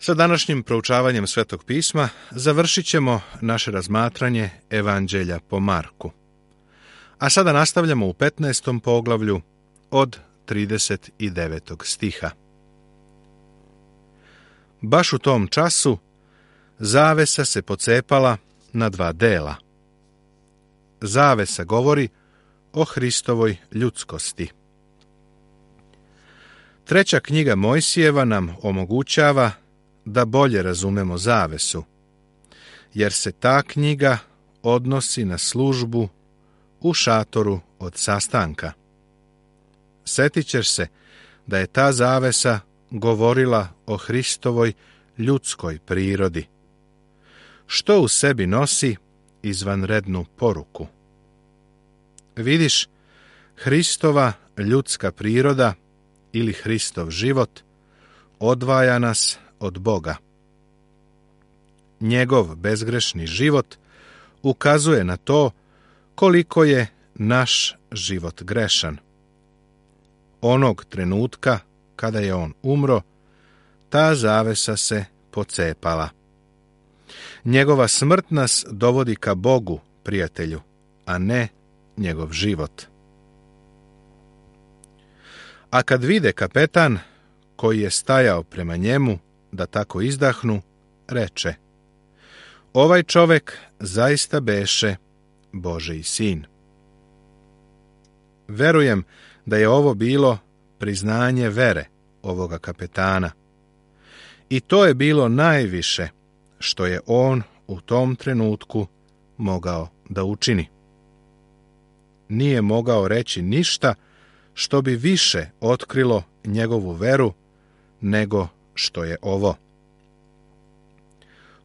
Sa današnjim proučavanjem Svetog pisma završit ćemo naše razmatranje Evanđelja po Marku. A sada nastavljamo u 15. poglavlju od 39. stiha. Baš u tom času zavesa se pocepala na dva dela. Zavesa govori o Hristovoj ljudskosti. Treća knjiga Mojsijeva nam omogućava da bolje razumemo zavesu, jer se ta knjiga odnosi na službu u šatoru od sastanka. Sjetit ćeš se da je ta zavesa govorila o Hristovoj ljudskoj prirodi, što u sebi nosi izvanrednu poruku. Vidiš, Hristova ljudska priroda ili Hristov život odvaja nas od Boga. Njegov bezgrešni život ukazuje na to koliko je naš život grešan. Onog trenutka kada je on umro, ta zavesa se pocepala. Njegova smrt nas dovodi ka Bogu, prijatelju, a ne njegov život. A kad vide kapetan, koji je stajao prema njemu, da tako izdahnu, reče: ovaj čovek zaista beše Božji sin. Verujem da je ovo bilo priznanje vere ovoga kapetana. I to je bilo najviše što je on u tom trenutku mogao da učini. Nije mogao reći ništa što bi više otkrilo njegovu veru nego što je ovo.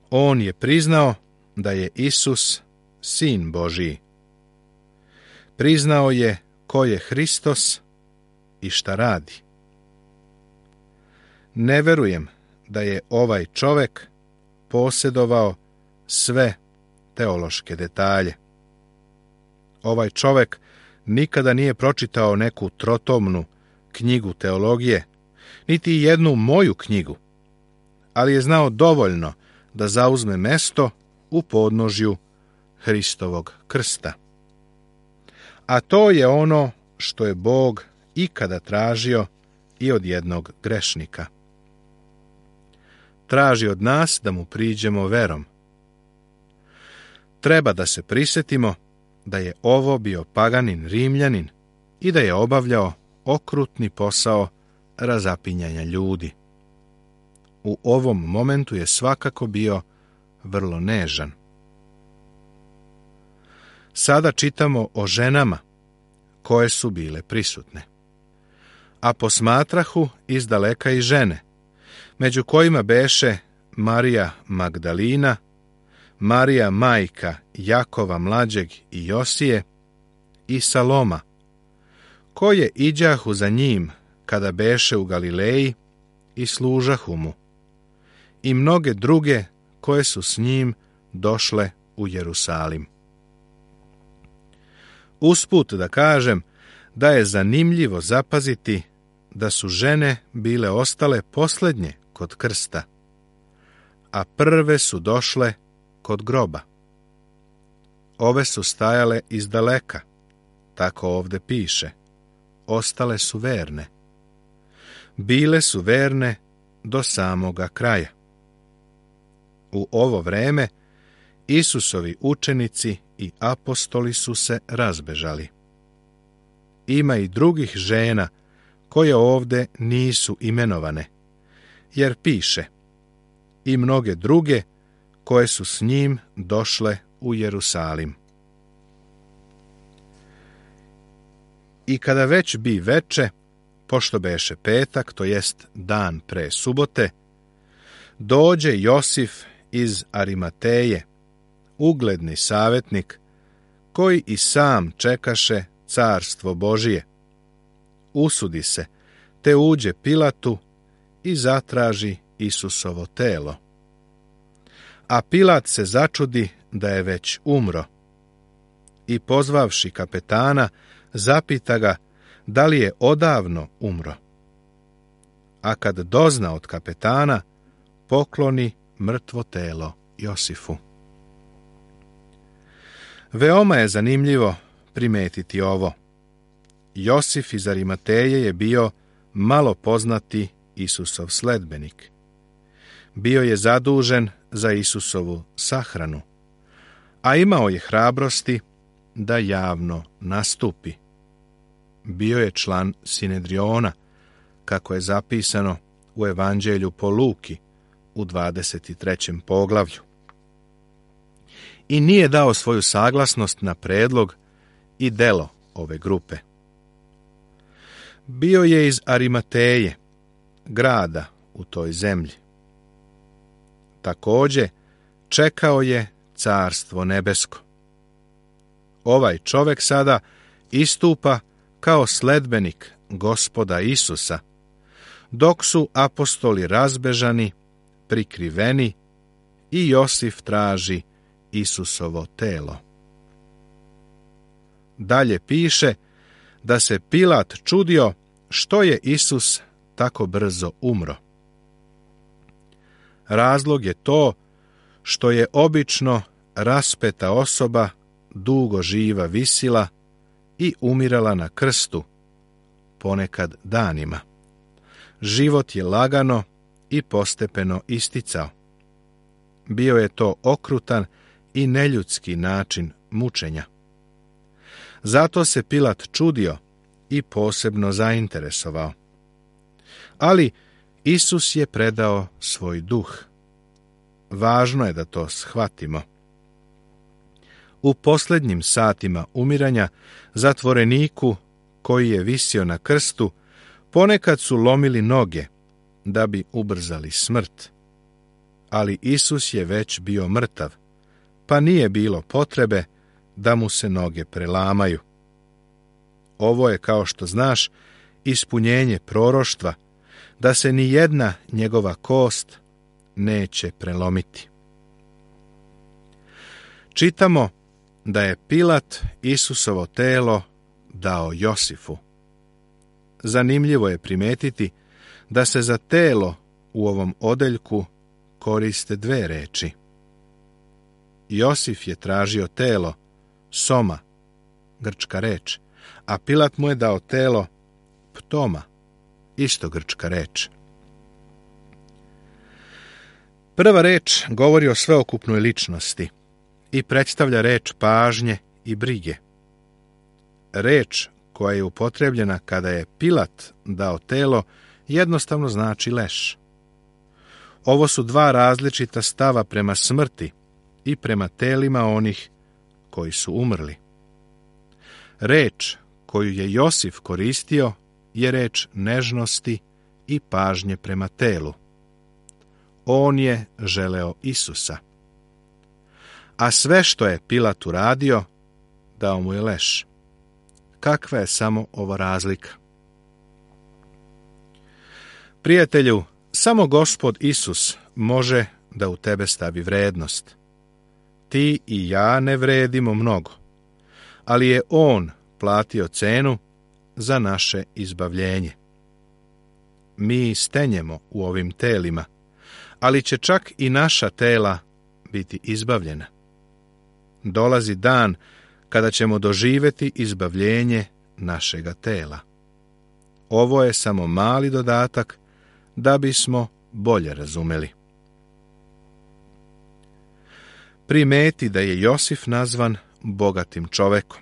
On je priznao da je Isus Sin Božiji. Priznao je ko je Hristos i šta radi. Ne verujem da je ovaj čovek posjedovao sve teološke detalje. Ovaj čovek nikada nije pročitao neku trotomnu knjigu teologije, niti jednu moju knjigu, ali je znao dovoljno da zauzme mesto u podnožju Hristovog krsta. A to je ono što je Bog ikada tražio i od jednog grešnika. Traži od nas da mu priđemo verom. Treba da se prisjetimo da je ovo bio paganin Rimljanin i da je obavljao okrutni posao razapinjanja ljudi. U ovom momentu je svakako bio vrlo nežan. Sada čitamo o ženama koje su bile prisutne. A posmatrahu izdaleka i žene, među kojima beše Marija Magdalina, Marija majka Jakova mlađeg i Josije i Saloma, koje iđahu za njim kada beše u Galileji i služahu mu, i mnoge druge koje su s njim došle u Jerusalim. Usput da kažem da je zanimljivo zapaziti da su žene bile ostale posljednje kod krsta, a prve su došle kod groba. Ove su stajale izdaleka, tako ovde piše, ostale su verne. Bile su verne do samoga kraja. U ovo vreme Isusovi učenici i apostoli su se razbežali. Ima i drugih žena koje ovde nisu imenovane, jer piše: i mnoge druge koje su s njim došle u Jerusalim. I kada već bi veče, pošto beše petak, to jest dan pre subote, dođe Josif iz Arimateje, ugledni savjetnik, koji i sam čekaše carstvo Božije. Usudi se, te uđe Pilatu i zatraži Isusovo telo. A Pilat se začudi da je već umro i pozvavši kapetana, zapita ga da li je odavno umro. A kad dozna od kapetana, pokloni mrtvo telo Josifu. Veoma je zanimljivo primetiti ovo. Josif iz Arimateje je bio malo poznati Isusov sledbenik. Bio je zadužen za Isusovu sahranu, a imao je hrabrosti da javno nastupi. Bio je član Sinedriona, kako je zapisano u Evanđelju po Luki u 23. poglavlju. I nije dao svoju saglasnost na predlog i delo ove grupe. Bio je iz Arimateje, grada u toj zemlji. Također čekao je carstvo nebesko. Ovaj čovjek sada istupa kao sledbenik Gospoda Isusa, dok su apostoli razbežani, prikriveni i Josif traži Isusovo telo. Dalje piše da se Pilat čudio što je Isus tako brzo umro. Razlog je to što je obično raspeta osoba dugo živa visila i umirala na krstu, ponekad danima. Život je lagano i postepeno isticao. Bio je to okrutan i neljudski način mučenja. Zato se Pilat čudio i posebno zainteresovao. Ali Isus je predao svoj duh. Važno je da to shvatimo. U posljednjim satima umiranja zatvoreniku koji je visio na krstu ponekad su lomili noge da bi ubrzali smrt. Ali Isus je već bio mrtav, pa nije bilo potrebe da mu se noge prelamaju. Ovo je, kao što znaš, ispunjenje proroštva, da se ni jedna njegova kost neće prelomiti. Čitamo da je Pilat Isusovo telo dao Josifu. Zanimljivo je primetiti da se za telo u ovom odeljku koriste dve reči. Josif je tražio telo, soma, grčka reč, a Pilat mu je dao telo, ptoma, isto grčka reč. Prva reč govori o sveokupnoj ličnosti i predstavlja reč pažnje i brige. Reč koja je upotrebljena kada je Pilat dao telo jednostavno znači leš. Ovo su dva različita stava prema smrti i prema telima onih koji su umrli. Reč koju je Josif koristio je reč nežnosti i pažnje prema telu. On je želeo Isusa. A sve što je Pilat uradio, dao mu je leš. Kakva je samo ova razlika? Prijatelju, samo Gospod Isus može da u tebe stavi vrednost. Ti i ja ne vredimo mnogo, ali je On platio cenu za naše izbavljenje. Mi stenjemo u ovim telima, ali će čak i naša tela biti izbavljena. Dolazi dan kada ćemo doživjeti izbavljenje našega tela. Ovo je samo mali dodatak da bismo bolje razumeli. Primeti da je Josif nazvan bogatim čovekom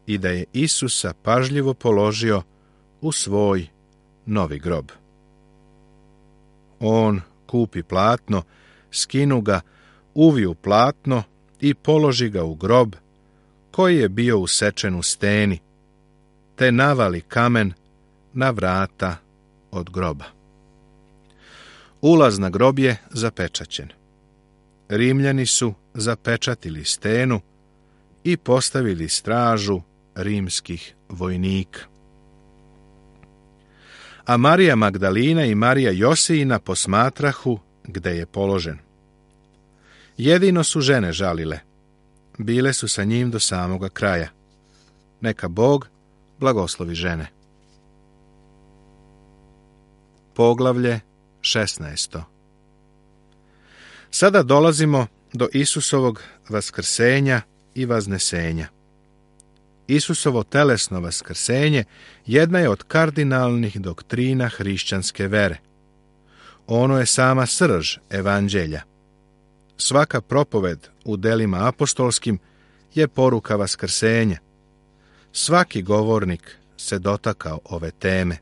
i da je Isusa pažljivo položio u svoj novi grob. On kupi platno, skinu ga, uviju platno i položi ga u grob koji je bio usečen u steni, te navali kamen na vrata od groba. Ulaz na grob je zapečaćen. Rimljani su zapečatili stenu i postavili stražu rimskih vojnika. A Marija Magdalina i Marija Josijina posmatrahu gde je položen. Jedino su žene žalile. Bile su sa njim do samoga kraja. Neka Bog blagoslovi žene. Poglavlje 16. Sada dolazimo do Isusovog vaskrsenja i vaznesenja. Isusovo telesno vaskrsenje jedna je od kardinalnih doktrina hrišćanske vere. Ono je sama srž evanđelja. Svaka propoved u delima apostolskim je poruka vaskrsenja. Svaki govornik se dotakao ove teme.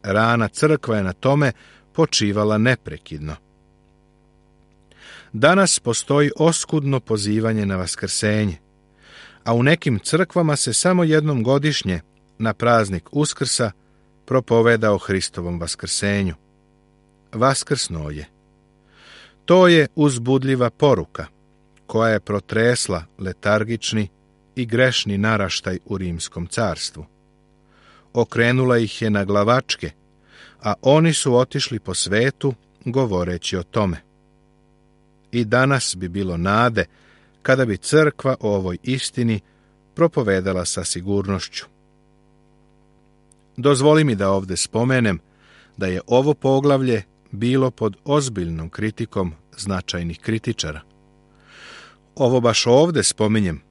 Rana crkva je na tome počivala neprekidno. Danas postoji oskudno pozivanje na vaskrsenje, a u nekim crkvama se samo jednom godišnje, na praznik Uskrsa, propoveda o Hristovom vaskrsenju. Vaskrsno je. To je uzbudljiva poruka, koja je protresla letargični i grešni naraštaj u Rimskom carstvu. Okrenula ih je na glavačke, a oni su otišli po svetu govoreći o tome. I danas bi bilo nade kada bi crkva o ovoj istini propovedala sa sigurnošću. Dozvoli mi da ovdje spomenem da je ovo poglavlje bilo pod ozbiljnom kritikom značajnih kritičara. Ovo baš ovdje spominjem,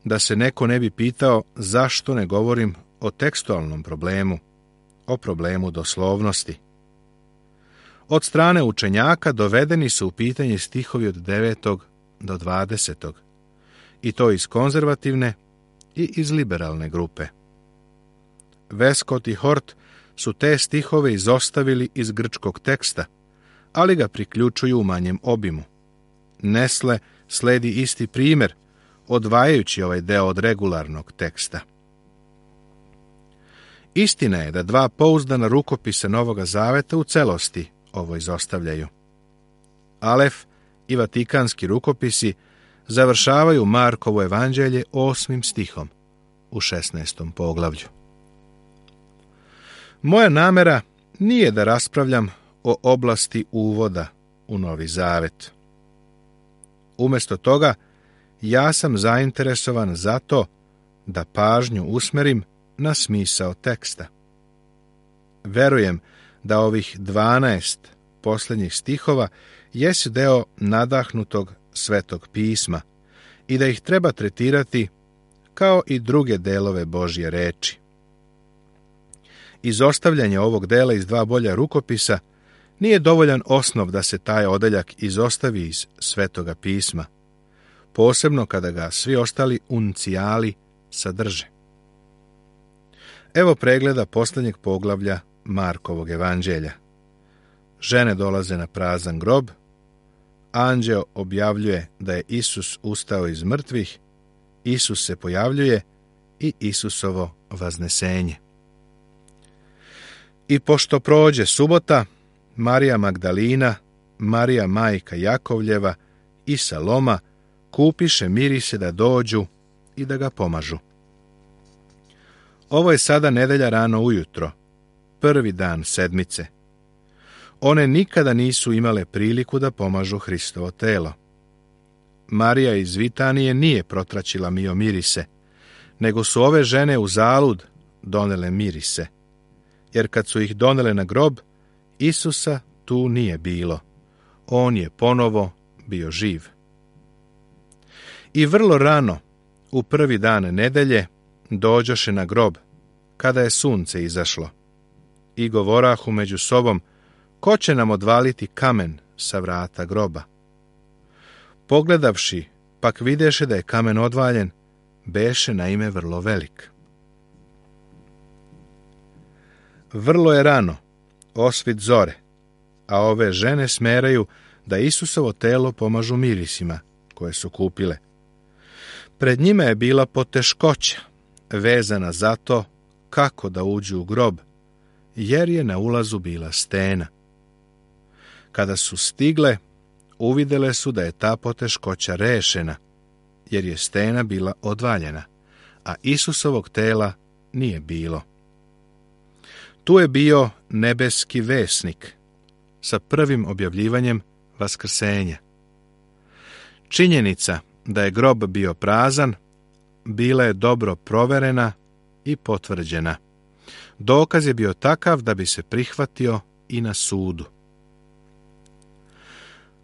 da se neko ne bi pitao zašto ne govorim o tekstualnom problemu, o problemu doslovnosti. Od strane učenjaka dovedeni su u pitanje stihovi od 9. do 20. i to iz konzervativne i iz liberalne grupe. Westcott i Hort su te stihove izostavili iz grčkog teksta, ali ga priključuju u manjem obimu. Nesle sledi isti primjer, odvajajući ovaj deo od regularnog teksta. Istina je da dva pouzdana rukopisa Novoga Zaveta u celosti ovo izostavljaju. Alef i Vatikanski rukopisi završavaju Markovo evanđelje 8. stihom u 16. poglavlju. Moja namera nije da raspravljam o oblasti uvoda u Novi Zavet. Umjesto toga, ja sam zainteresovan za to da pažnju usmerim na smisao teksta. Verujem da ovih 12 posljednjih stihova jesu deo nadahnutog Svetog pisma i da ih treba tretirati kao i druge delove Božje reči. Izostavljanje ovog dela iz dva bolja rukopisa nije dovoljan osnov da se taj odeljak izostavi iz Svetoga pisma, posebno kada ga svi ostali uncijali sadrže. Evo pregleda posljednjeg poglavlja Markovog evanđelja. Žene dolaze na prazan grob, anđeo objavljuje da je Isus ustao iz mrtvih, Isus se pojavljuje i Isusovo vaznesenje. I pošto prođe subota, Marija Magdalina, Marija majka Jakovljeva i Saloma kupiše mirise da dođu i da ga pomažu. Ovo je sada nedelja rano ujutro, prvi dan sedmice. One nikada nisu imale priliku da pomažu Hristovo telo. Marija iz Vitanije nije protraćila mio mirise, nego su ove žene u zalud donele mirise, jer kad su ih donele na grob, Isusa tu nije bilo. On je ponovo bio živ. I vrlo rano, u prvi dan nedelje, dođoše na grob, kada je sunce izašlo, i govorahu među sobom, ko će nam odvaliti kamen sa vrata groba? Pogledavši, pak videše da je kamen odvaljen, beše naime vrlo velik. Vrlo je rano, osvit zore, a ove žene smeraju da Isusovo telo pomažu mirisima koje su kupile. Pred njima je bila poteškoća, vezana za to kako da uđu u grob, jer je na ulazu bila stena. Kada su stigle, uvidele su da je ta poteškoća rešena, jer je stena bila odvaljena, a Isusovog tela nije bilo. Tu je bio nebeski vesnik sa prvim objavljivanjem vaskrsenja. Činjenica da je grob bio prazan bila je dobro proverena i potvrđena. Dokaz je bio takav da bi se prihvatio i na sudu.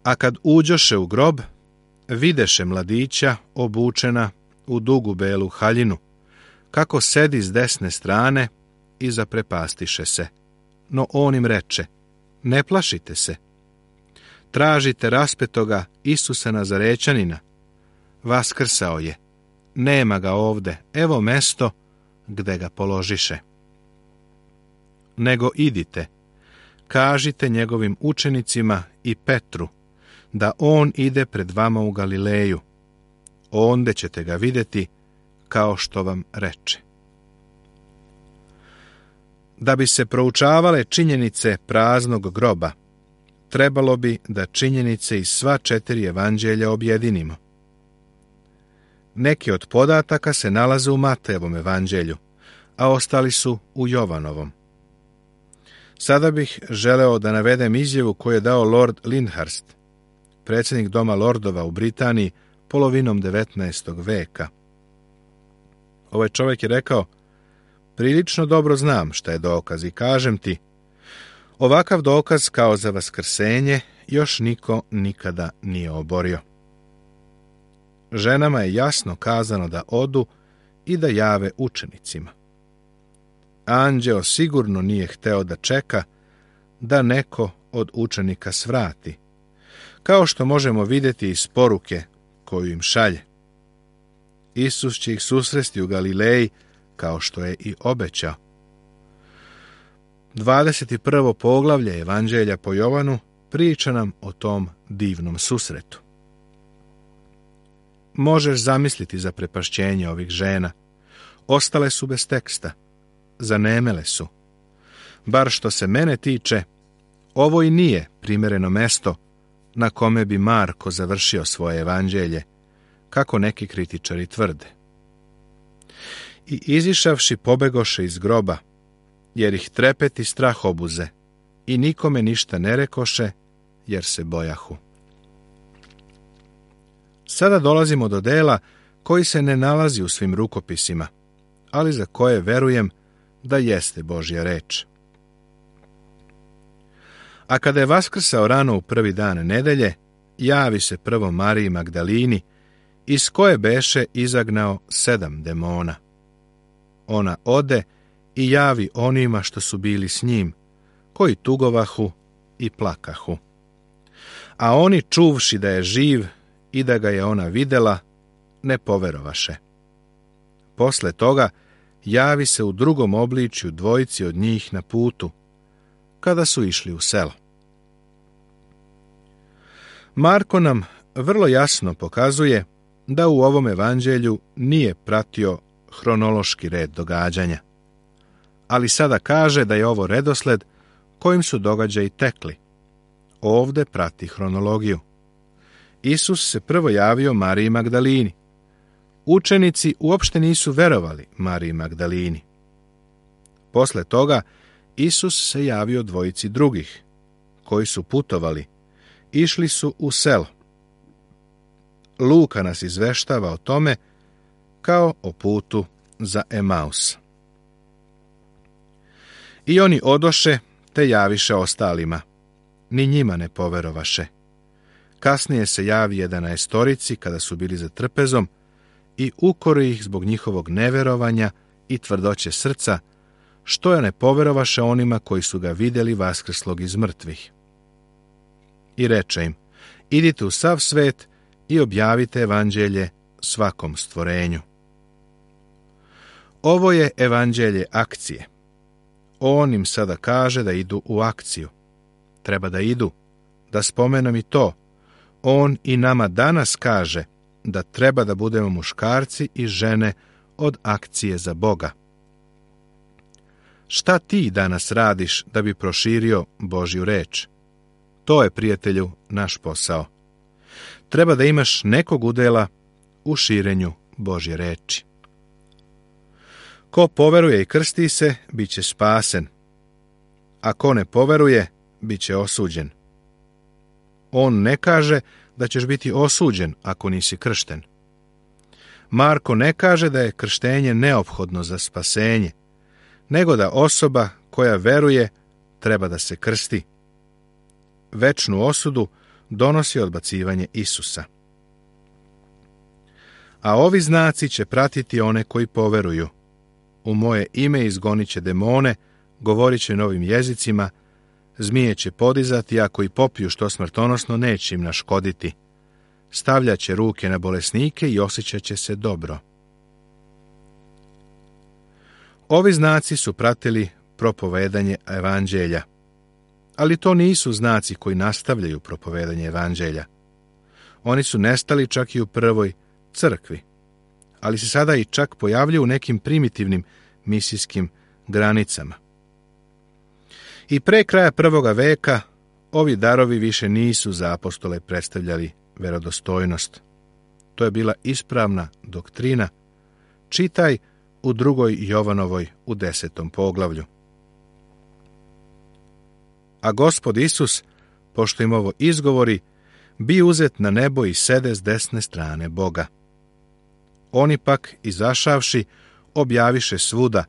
A kad uđoše u grob, videše mladića obučena u dugu belu haljinu, kako sedi s desne strane i zaprepastiše se. No on im reče, ne plašite se. Tražite raspetoga Isusa Nazarećanina. Vaskrsao je. Nema ga ovde, evo mesto gde ga položiše. Nego idite, kažite njegovim učenicima i Petru, da on ide pred vama u Galileju. Onde ćete ga vidjeti, kao što vam reče. Da bi se proučavale činjenice praznog groba, trebalo bi da činjenice iz sva 4 evanđelja objedinimo. Neki od podataka se nalaze u Matejevom evanđelju, a ostali su u Jovanovom. Sada bih želeo da navedem izjavu koju je dao Lord Lyndhurst, predsjednik Doma lordova u Britaniji polovinom 19. veka. Ovaj čovjek je rekao, prilično dobro znam šta je dokaz i kažem ti, ovakav dokaz kao za vaskrsenje još niko nikada nije oborio. Ženama je jasno kazano da odu i da jave učenicima. Anđeo sigurno nije hteo da čeka da neko od učenika svrati, kao što možemo vidjeti iz poruke koju im šalje. Isus će ih susresti u Galileji, kao što je i obećao. 21. poglavlje Evanđelja po Jovanu priča nam o tom divnom susretu. Možeš zamisliti zaprepašćenje ovih žena. Ostale su bez teksta. Zanemele su. Bar što se mene tiče, ovo i nije primjereno mesto na kome bi Marko završio svoje evanđelje, kako neki kritičari tvrde. I izišavši pobegoše iz groba, jer ih trepet i strah obuze, i nikome ništa ne rekoše, jer se bojahu. Sada dolazimo do dela koji se ne nalazi u svim rukopisima, ali za koje verujem da jeste Božja reč. A kada je vaskrsao rano u prvi dan nedelje, javi se prvo Mariji Magdalini, iz koje beše izagnao 7 demona. Ona ode i javi onima što su bili s njim, koji tugovahu i plakahu. A oni, čuvši da je živ i da ga je ona videla, ne poverovaše. Posle toga javi se u drugom obličju dvojici od njih na putu, kada su išli u selo. Marko nam vrlo jasno pokazuje da u ovom evanđelju nije pratio hronološki red događanja, ali sada kaže da je ovo redosled kojim su događaji tekli. Ovde prati hronologiju. Isus se prvo javio Mariji Magdalini. Učenici uopšte nisu verovali Mariji Magdalini. Posle toga Isus se javio dvojici drugih, koji su putovali, išli su u selo. Luka nas izveštava o tome kao o putu za Emaus. I oni odoše, te javiše ostalima. Ni njima ne poverovaše. Kasnije se javi 11 kada su bili za trpezom i ukori ih zbog njihovog neverovanja i tvrdoće srca, što je ne poverovaše onima koji su ga vidjeli vaskrslog iz mrtvih. I reče im, idite u sav svet i objavite evanđelje svakom stvorenju. Ovo je evanđelje akcije. On im sada kaže da idu u akciju. Treba da idu. Da spomenem i to. On i nama danas kaže da treba da budemo muškarci i žene od akcije za Boga. Šta ti danas radiš da bi proširio Božju reč? To je, prijatelju, naš posao. Treba da imaš nekog udela u širenju Božje reči. Ko poveruje i krsti se, bit će spasen. A ko ne poveruje, bit će osuđen. On ne kaže da ćeš biti osuđen ako nisi kršten. Marko ne kaže da je krštenje neophodno za spasenje, nego da osoba koja veruje treba da se krsti. Večnu osudu donosi odbacivanje Isusa. A ovi znaci će pratiti one koji poveruju. U moje ime izgonit će demone, govorit će novim jezicima, zmije će podizati, ako i popiju što smrtonosno, neće im naškoditi. Stavljat će ruke na bolesnike i osjećat će se dobro. Ovi znaci su pratili propovedanje evanđelja. Ali to nisu znaci koji nastavljaju propovedanje evanđelja. Oni su nestali čak i u prvoj crkvi, ali se sada i čak pojavljuju u nekim primitivnim misijskim granicama. I pre kraja 1. veka ovi darovi više nisu za apostole predstavljali verodostojnost. To je bila ispravna doktrina. Čitaj u 2. Jovanovoj u 10. poglavlju. A Gospod Isus, pošto im ovo izgovori, bi uzet na nebo i sede s desne strane Boga. Oni pak, izašavši, objaviše svuda,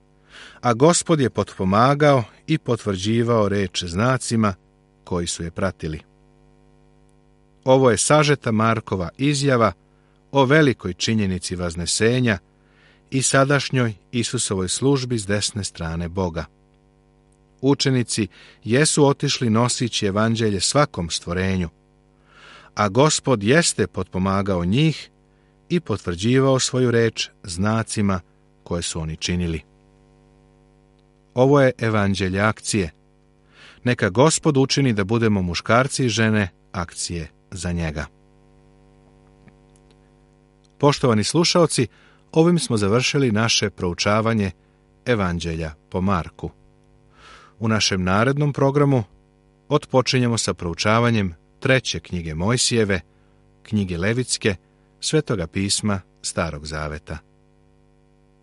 a Gospod je potpomagao i potvrđivao reč znacima koji su je pratili. Ovo je sažeta Markova izjava o velikoj činjenici vaznesenja i sadašnjoj Isusovoj službi s desne strane Boga. Učenici jesu otišli nosići evanđelje svakom stvorenju, a Gospod jeste potpomagao njih i potvrđivao svoju reč znacima koje su oni činili. Ovo je evanđelje akcije. Neka Gospod učini da budemo muškarci i žene akcije za njega. Poštovani slušaoci, ovim smo završili naše proučavanje evanđelja po Marku. U našem narednom programu otpočinjemo sa proučavanjem 3. knjige Mojsijeve, knjige Levitske, Svetoga pisma Starog zaveta.